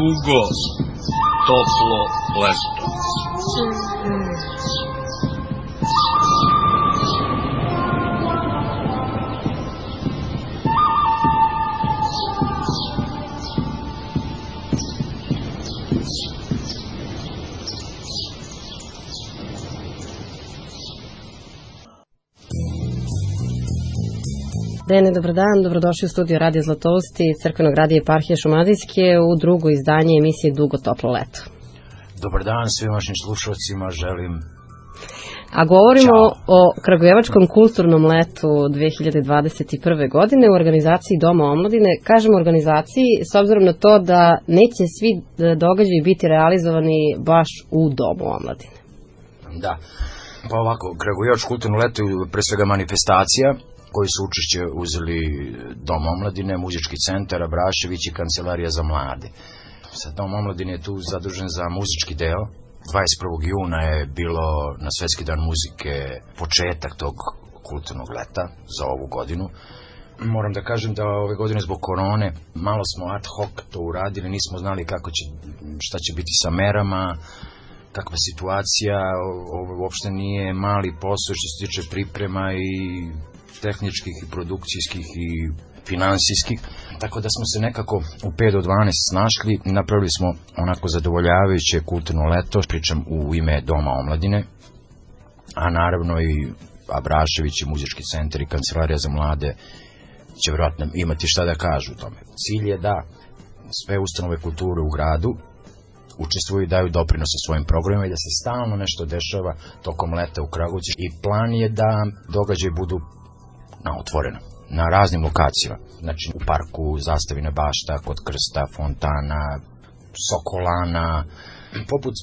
dugo, toplo leto. Dene, dobar dan, dobrodošli u studio Radio Zlatousti Crkvenog radija Eparhije Šumadijske u drugo izdanje emisije Dugo toplo leto. Dobar dan svim vašim slušalcima, želim. A govorimo o Kragujevačkom kulturnom letu 2021. godine u organizaciji Doma omladine. Kažemo organizaciji s obzirom na to da neće svi događaji biti realizovani baš u Domu omladine. Da, pa ovako, Kragujevačko kulturno leto je pre svega manifestacija koji su učešće uzeli Dom omladine, Muzički centar Abrašević i Kancelarija za mlade. Sad Dom omladine je tu zadužen za muzički deo. 21. juna je bilo na Svetski dan muzike početak tog kulturnog leta za ovu godinu. Moram da kažem da ove godine zbog korone malo smo ad hoc to uradili, nismo znali šta će biti sa merama, kakva situacija, ovo uopšte nije mali posao što se tiče priprema i tehničkih i produkcijskih i finansijskih, tako da smo se nekako u 5 do 12 snašli i napravili smo onako zadovoljavajuće kulturno leto, pričam u ime Doma omladine, a naravno i Abrašević i Muzički centar i Kancelarija za mlade će vjerojatno imati šta da kažu o tome. Cilj je da sve ustanove kulture u gradu učestvuju i daju doprinose svojim programima i da se stalno nešto dešava tokom leta u Kragujevcu i plan je da događaji budu otvoreno, na raznim lokacijama, znači u parku Zastavine bašta, kod Krsta, Fontana, Sokolana, poput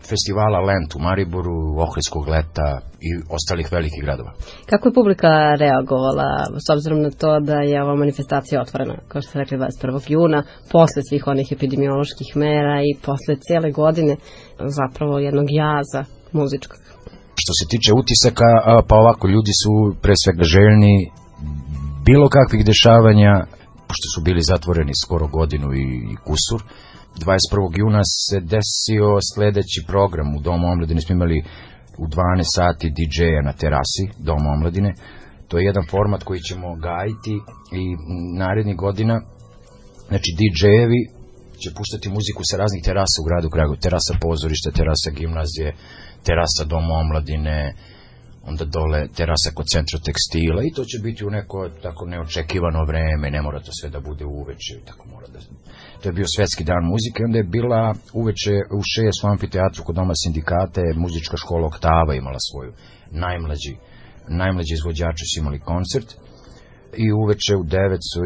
festivala Lent u Mariboru, Ohridskog leta i ostalih velikih gradova. Kako je publika reagovala s obzirom na to da je ova manifestacija otvorena, kao što ste rekli 21. juna, posle svih onih epidemioloških mera i posle cijele godine zapravo jednog jaza muzičkog? Što se tiče utisaka, pa ovako, ljudi su pre svega željni bilo kakvih dešavanja, pošto su bili zatvoreni skoro godinu i kusur. 21. juna se desio sledeći program u Domu omladine, smo imali u 12 sati DJ-a na terasi Doma omladine. To je jedan format koji ćemo gajiti i narednih godina, znači DJ-evi će puštati muziku sa raznih terasa u gradu Kragujevac, terasa pozorišta, terasa gimnazije, terasa Doma omladine, onda dole terasa kod Centra tekstila i to će biti u neko tako neočekivano vreme, ne mora to sve da bude uveče, tako mora da... To je bio Svetski dan muzike, onda je bila uveče u 6 u amfiteatru kod Doma sindikata, muzička škola Oktava imala svoju, najmlađi izvođači su imali koncert i uveče u 9 su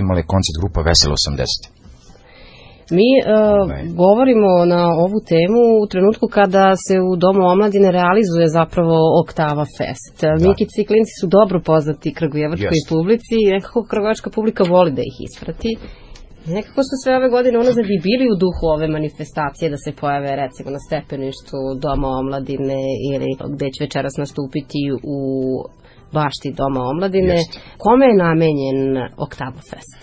imali koncert grupa Veselo 80. Mi govorimo na ovu temu u trenutku kada se u Domu omladine realizuje zapravo Oktava Fest. Mikici i klinci su dobro poznati kragujevačkoj publici i nekako kragujevačka publika voli da ih isprati. Nekako su sve ove godine unazad i bili u duhu ove manifestacije da se pojave recimo na stepeništu Doma omladine ili gde će večeras nastupiti u bašti Doma omladine. Kome je namenjen Oktava Fest?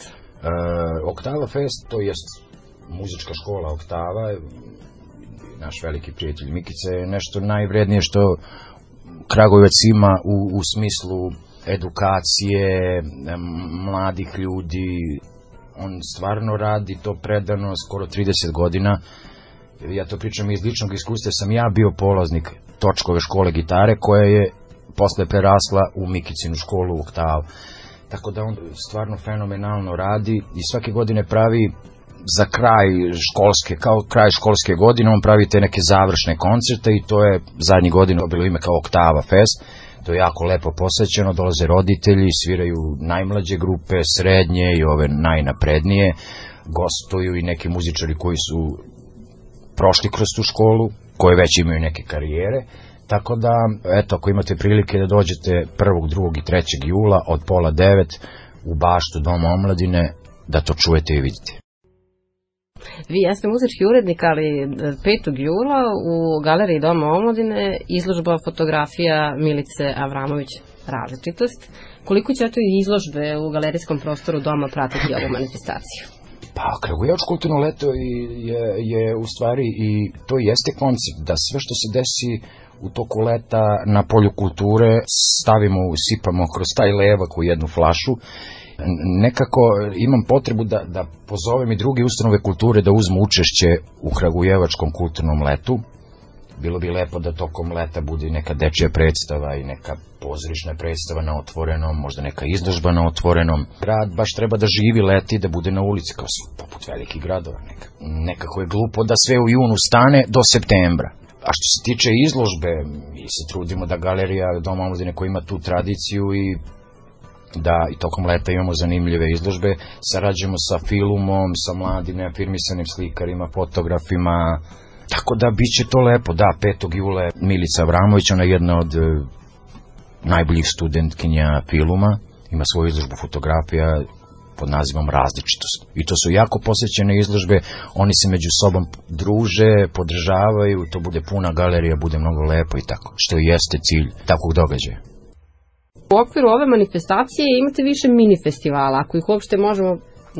Oktava Fest, to jest muzička škola Oktava, naš veliki prijatelj Mikica, je nešto najvrednije što Kragujevac ima u smislu edukacije mladih ljudi. On stvarno radi to predano skoro 30 godina. Ja to pričam iz ličnog iskustva, sam ja bio polaznik Točkove škole gitare koja je posle prerasla u Mikicinu školu u Oktavu. Tako da on stvarno fenomenalno radi i svake godine pravi za kraj školske godine, on pravi te neke završne koncerte i to je zadnjih godina bilo ime kao Oktava Fest. To je jako lepo posvećeno, dolaze roditelji, sviraju najmlađe grupe, srednje i ove najnaprednije, gostuju i neki muzičari koji su prošli kroz tu školu, koji već imaju neke karijere. Tako da, eto, ako imate prilike da dođete 1., 2. i 3. jula od 8:30 u baštu Doma omladine, da to čujete i vidite. Vi jeste muzički urednik, ali 5. jula u galeriji Doma omladine izložba fotografija Milice Avramović Različitost. Koliko će to izložbe u galerijskom prostoru Doma pratiti ovu manifestaciju? Pa, Kragujevačko kulturno leto je u stvari i to jeste koncept, da sve što se desi u toku leta na polju kulture stavimo, usipamo kroz taj levak u jednu flašu. Nekako imam potrebu da pozovem i druge ustanove kulture da uzmu učešće u Kragujevačkom kulturnom letu. Bilo bi lepo da tokom leta bude neka dečija predstava i neka pozorišna predstava na otvorenom, možda neka izložba na otvorenom. Grad baš treba da živi leti, da bude na ulici kao poput velikih gradova. Nekako je glupo da sve u junu stane do septembra. A što se tiče izložbe, mi se trudimo da galerija Doma omladine koja ima tu tradiciju i da i tokom leta imamo zanimljive izložbe, sarađujemo sa Filumom, sa mladim neafirmisanim slikarima, fotografima. Tako da bit će to lepo, da, 5. jula je Milica Avramović, ona je jedna od najboljih studentkinja Filuma, ima svoju izložbu fotografija pod nazivom Različitost. I to su jako posvećene izložbe, oni se među sobom druže, podržavaju, to bude puna galerija, bude mnogo lepo i tako, što jeste cilj takvog događaja. U okviru ove manifestacije imate više mini festivala, ako ih uopšte možemo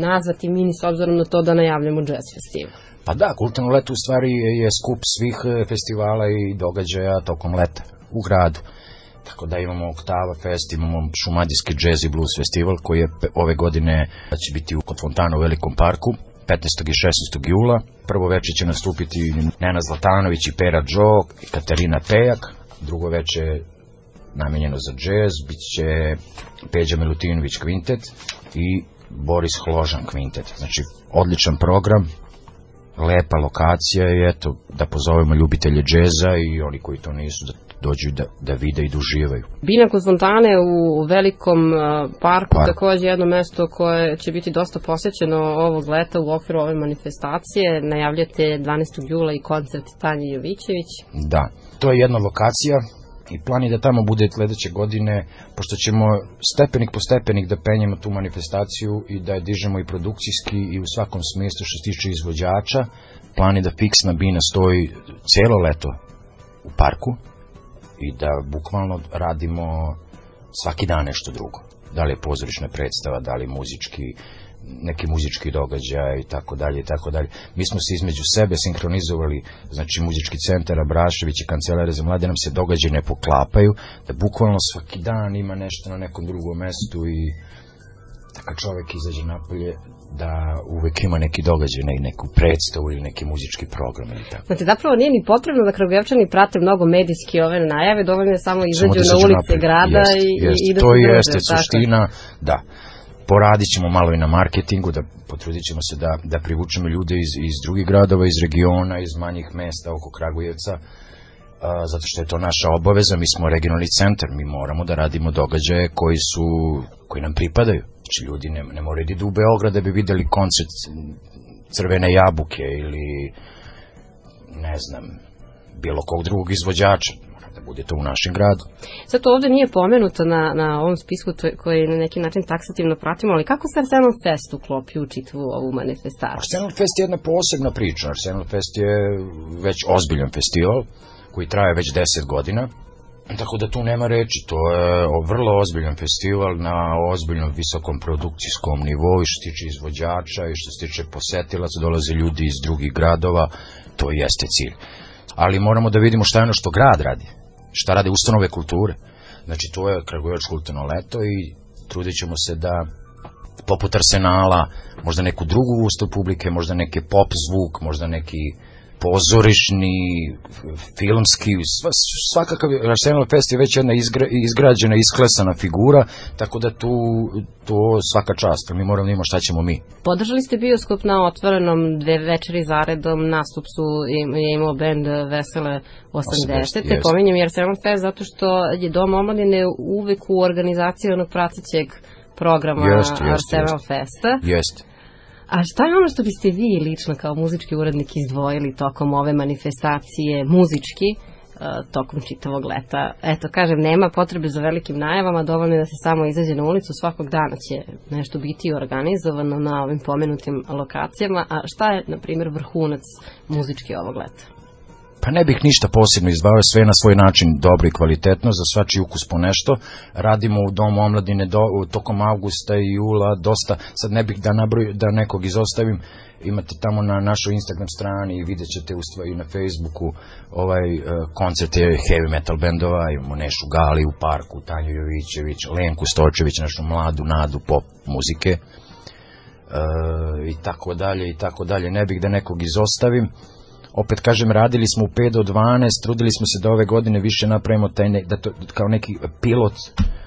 nazvati mini s obzirom na to da najavljamo jazz festival. Pa da, kulturno leto u stvari je skup svih festivala i događaja tokom leta u gradu. Tako da imamo Oktava Fest, imamo Šumadijski jazz i blues festival koji je ove godine će biti kod fontana u Velikom parku 15. i 16. jula. Prvo večer će nastupiti Nenad Zlatanović i Pera Džo i Katarina Pejak. Drugo večer namenjeno za jazz, bit će Peđa Milutinović kvintet i Boris Hložan kvintet. Znači, odličan program, lepa lokacija i eto, da pozovemo ljubitelje džeza i oni koji to nisu, da dođu da vide i da uživaju. Bina kod fontane u Velikom parku, takođe jedno mesto koje će biti dosta posećeno ovog leta u okviru ove manifestacije. Najavljate 12. jula i koncert Tanje Jovićević. Da, to je jedna lokacija i plan je da tamo bude sledeće godine, pošto ćemo stepenik po stepenik da penjemo tu manifestaciju i da je dižemo i produkcijski i u svakom smislu što se tiče izvođača. Plan je da fiksna bina stoji celo leto u parku i da bukvalno radimo svaki dan nešto drugo. Da li je pozorišna predstava, da li neki muzički događaj i tako dalje i tako dalje. Mi smo se između sebe sinkronizovali, znači muzički centar Abrašević i Kancelarija za mlade nam se događaje ne poklapaju, da bukvalno svaki dan ima nešto na nekom drugom mestu i kad čovek izađe napolje da uvek ima neki događaj, neku predstavu ili neki muzički program ili tako. Znači, zapravo nije ni potrebno da Kragujevčani prate mnogo medijski ove najave, dovoljno je samo izađu na ulice grada i da se druže. To jeste suština, da. Poradit ćemo malo i na marketingu, potrudit ćemo se da privučemo ljude iz drugih gradova, iz regiona, iz manjih mesta oko Kragujevca, zato što je to naša obaveza, mi smo regionalni centar, mi moramo da radimo događaje koji nam pripadaju. Znači ljudi ne moraju da idu u Beograd da bi videli koncert Crvene jabuke ili ne znam, bilo kog drugog izvođača. Da bude to u našem gradu. Sad to ovde nije pomenuto na ovom spisku koji na neki način taksativno pratimo, ali kako se Arsenal Fest uklopi u čitavu ovu manifestaciju? Arsenal Fest je jedna posebna priča. Arsenal Fest je već ozbiljan festival koji traje već 10 godina. Tako da tu nema reči, to je vrlo ozbiljan festival na ozbiljnom visokom produkcijskom nivou i što se tiče izvođača i što se tiče posetilaca, dolaze ljudi iz drugih gradova, to jeste cilj. Ali moramo da vidimo šta je ono što grad radi, šta rade ustanove kulture. Znači to je Kragujevačko kulturno leto i trudit ćemo se da poput Arsenala, možda neku drugu vrstu publike, možda neki pop zvuk, možda neki pozorišni, filmski, svakakav Arsenal Fest je već jedna izgrađena, isklesana figura, tako da tu svaka čast, mi moramo da imamo šta ćemo mi. Podržali ste bioskop na otvorenom 2 večeri zaredom, nastup je imao bend Vesele 80. Pominjem i Arsenal Fest zato što je Dom omladine uvek u organizaciji onog pratećeg programa Arsenal Festa. Jeste. A šta je ono što biste vi lično kao muzički urednik izdvojili tokom ove manifestacije muzički tokom čitavog leta? Eto, kažem, nema potrebe za velikim najavama, dovoljno je da se samo izađe na ulicu, svakog dana će nešto biti organizovano na ovim pomenutim lokacijama. A šta je, na primjer, vrhunac muzički ovog leta? Pa ne bih ništa posebno izdvao, sve na svoj način dobro i kvalitetno, za svačiji ukus po nešto. Radimo u Domu omladine tokom avgusta i jula dosta, sad ne bih da nekog izostavim, imate tamo na našoj Instagram strani i vidjet ćete i na Facebooku koncerte heavy metal bendova, imamo Nešu Gali u parku, Tanju Jovićević, Lenku Stočević, našu mladu nadu pop muzike, i tako dalje, i tako dalje, ne bih da nekog izostavim. Opet kažem, radili smo u 5 do 12, trudili smo se da ove godine više napravimo kao neki pilot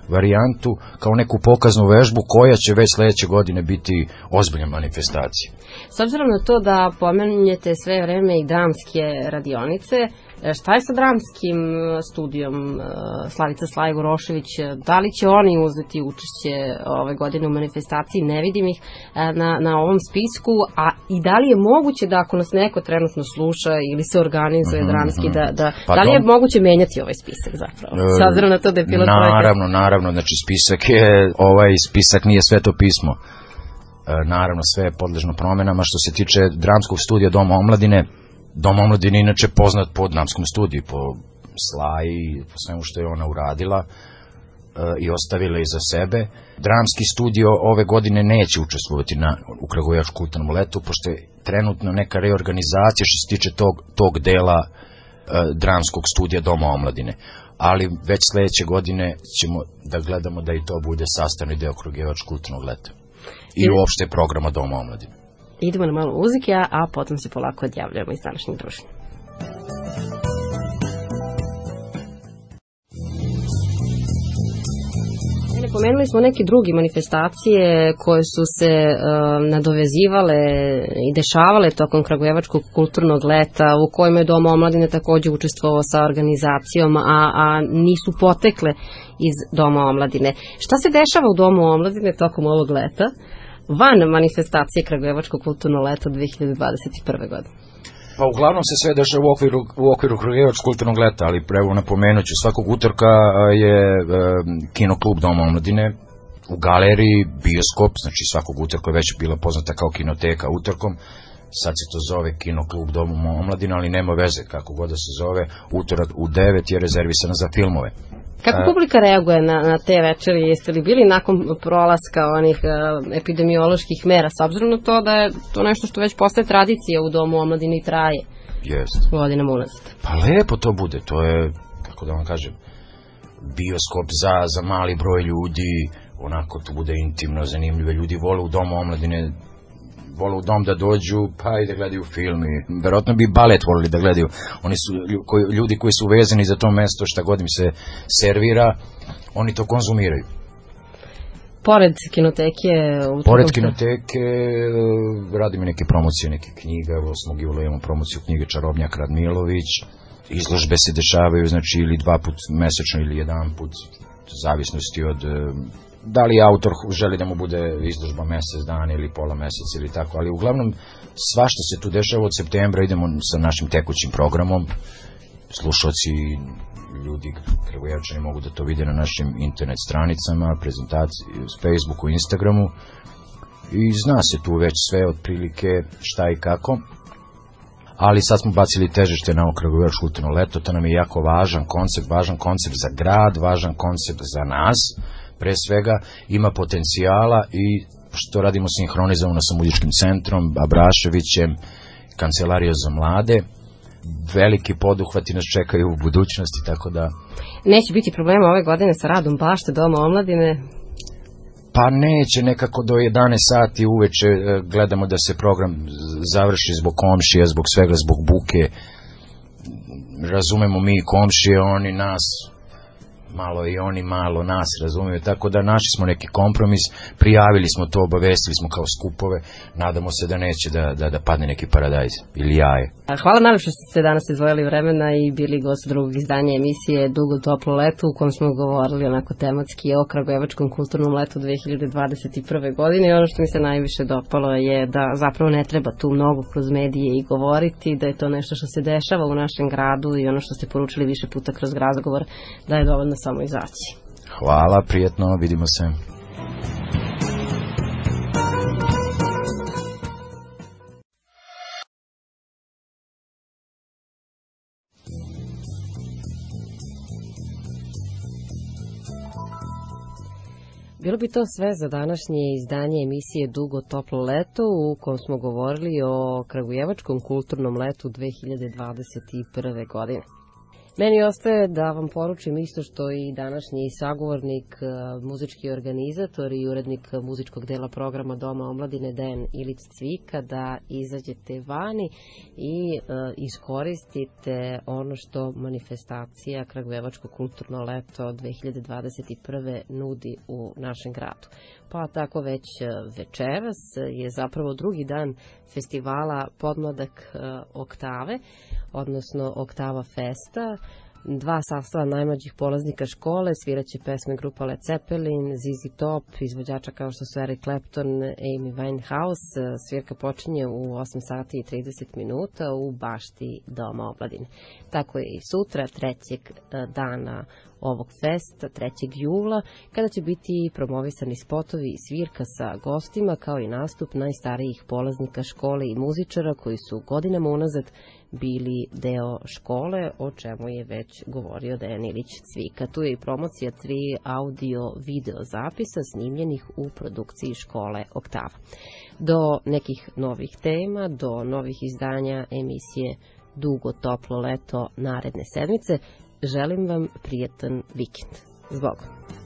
varijantu, kao neku pokaznu vežbu koja će već sledeće godine biti ozbiljna manifestacija. S obzirom na to da pomenjete sve vreme i dramske radionice, šta je sa dramskim studijom Slavica Slajgorošević? Da li će oni uzeti učešće ove godine u manifestaciji? Ne vidim ih na ovom spisku, a i da li je moguće da ako nas neko trenutno sluša ili se organizuje dramski, da li je moguće menjati ovaj spisak zapravo? S obzirom na to da je pilot projekat. Naravno, znači spisak nije Sveto pismo. Naravno, sve je podležno promenama. Što se tiče dramskog studija Doma omladine, Dom omladine je inače poznat po dramskom studiju, po Slaji, po svemu što je ona uradila i ostavila iza sebe. Dramski studio ove godine neće učestvovati u Kragujevačkom kulturnom letu, pošto je trenutno neka reorganizacija što se tiče tog dela dramskog studija Doma omladine. Ali već sledeće godine ćemo da gledamo da i to bude sastavni deo Kragujevačkog kulturnog leta i uopšte programa Doma omladine. Idemo na malo muzike, a potom se polako odjavljamo iz današnjeg druženja. Pomenuli smo neke druge manifestacije koje su se nadovezivale i dešavale tokom Kragujevačkog kulturnog leta, u kojima je Dom omladine takođe učestvovao sa organizacijom, a nisu potekle iz Doma omladine. Šta se dešava u Domu omladine tokom ovog leta, van manifestacije Kragujevačkog kulturno leto 2021. godine? Pa uglavnom se sve dešava u okviru Kragujevačkog kulturnog leta, ali evo napomenuću, svakog utorka je kinoklub Doma omladine u galeriji, bioskop, znači svakog utorka je već bila poznata kao kinoteka utorkom, sad se to zove kinoklub Doma omladine, ali nema veze kako god da se zove, utorak u 9 je rezervisana za filmove. Kako publika reaguje na te večeri? Jeste li bili nakon prolaska onih epidemioloških mera, s obzirom na to da je to nešto što već postaje tradicija u Domu omladine i traje godinama unazad? Pa lepo to bude, to je, kako da vam kažem, bioskop za mali broj ljudi, onako to bude intimno, zanimljivo, ljudi vole u Domu omladine, vole u dom da dođu, pa i da gledaju film i verovatno bi balet volili da gledaju. Oni su ljudi koji su vezani za to mesto, šta god im se servira, oni to konzumiraju. Pored kinoteke? Pored kinoteke radimo neke promocije, neke knjiga, 8. jula imamo promociju knjige Čarobnjak Radmilović, izložbe se dešavaju, znači ili 2 put mesečno ili 1 put, u zavisnosti od da li autor želi da mu bude izložba mesec dana ili pola meseca ili tako, ali uglavnom svašta se tu dešava. Od septembra idemo sa našim tekućim programom, slušalci, ljudi, Kragujevčani mogu da to vide na našim internet stranicama, prezentaciji, Facebooku, Instagramu i zna se tu već sve otprilike šta i kako, ali sad smo bacili težište na ovo Kragujevačko kulturno leto, to nam je jako važan koncept za grad, važan koncept za nas. Pre svega ima potencijala i što radimo sinhronizovano sa muzičkim centrom, Abraševićem, Kancelarija za mlade, veliki poduhvati nas čekaju u budućnosti, tako da... Neće biti problema ove godine sa radom bašte Doma omladine? Pa neće, nekako do 11 sati uveče gledamo da se program završi zbog komšija, zbog svega, zbog buke. Razumemo mi komšije, oni nas... malo i oni malo nas razumiju, tako da našli smo neki kompromis, prijavili smo to, obavestili smo kao skupove, nadamo se da neće da padne neki paradajz ili jaje. Hvala najlepše što ste danas izdvojili vremena i bili gost drugog izdanja emisije Dugo toplo leto, u kom smo govorili onako tematski o Kragujevačkom kulturnom letu 2021. godine i ono što mi se najviše dopalo je da zapravo ne treba tu mnogo kroz medije i govoriti, da je to nešto što se dešava u našem gradu i ono što ste poručili više puta kroz razgovor, da je dovoljno samo izaći. Hvala, prijetno, vidimo se. Bilo bi to sve za današnje izdanje emisije Dugo toplo leto u kom smo govorili o Kragujevačkom kulturnom letu 2021. godine. Meni ostaje da vam poručim isto što i današnji sagovornik, muzički organizator i urednik muzičkog dela programa Doma omladine Dejan Ilić Cvika, da izađete vani i iskoristite ono što manifestacija Kragujevačko kulturno leto 2021. nudi u našem gradu. Pa tako već večeras je zapravo drugi dan festivala Podmladak Oktave, odnosno Oktava Festa. 2 sastava najmlađih polaznika škole sviraće pesme grupa Led Zeppelin, ZZ Top, izvođača kao što su Eric Clapton, Amy Winehouse. Svirka počinje u 8 sati i 30 minuta u bašti Doma omladine. Tako je i sutra, 3. dana ovog festa, 3. jula, kada će biti promovisani spotovi i svirka sa gostima, kao i nastup najstarijih polaznika škole i muzičara koji su godinama unazad bili deo škole, o čemu je već govorio Dejan Ilić Cvika. Tu je i promocija 3 audio-video zapisa snimljenih u produkciji škole Oktava. Do nekih novih tema, do novih izdanja emisije Dugo toplo leto naredne sedmice, želim vam prijetan vikend. Zbogom.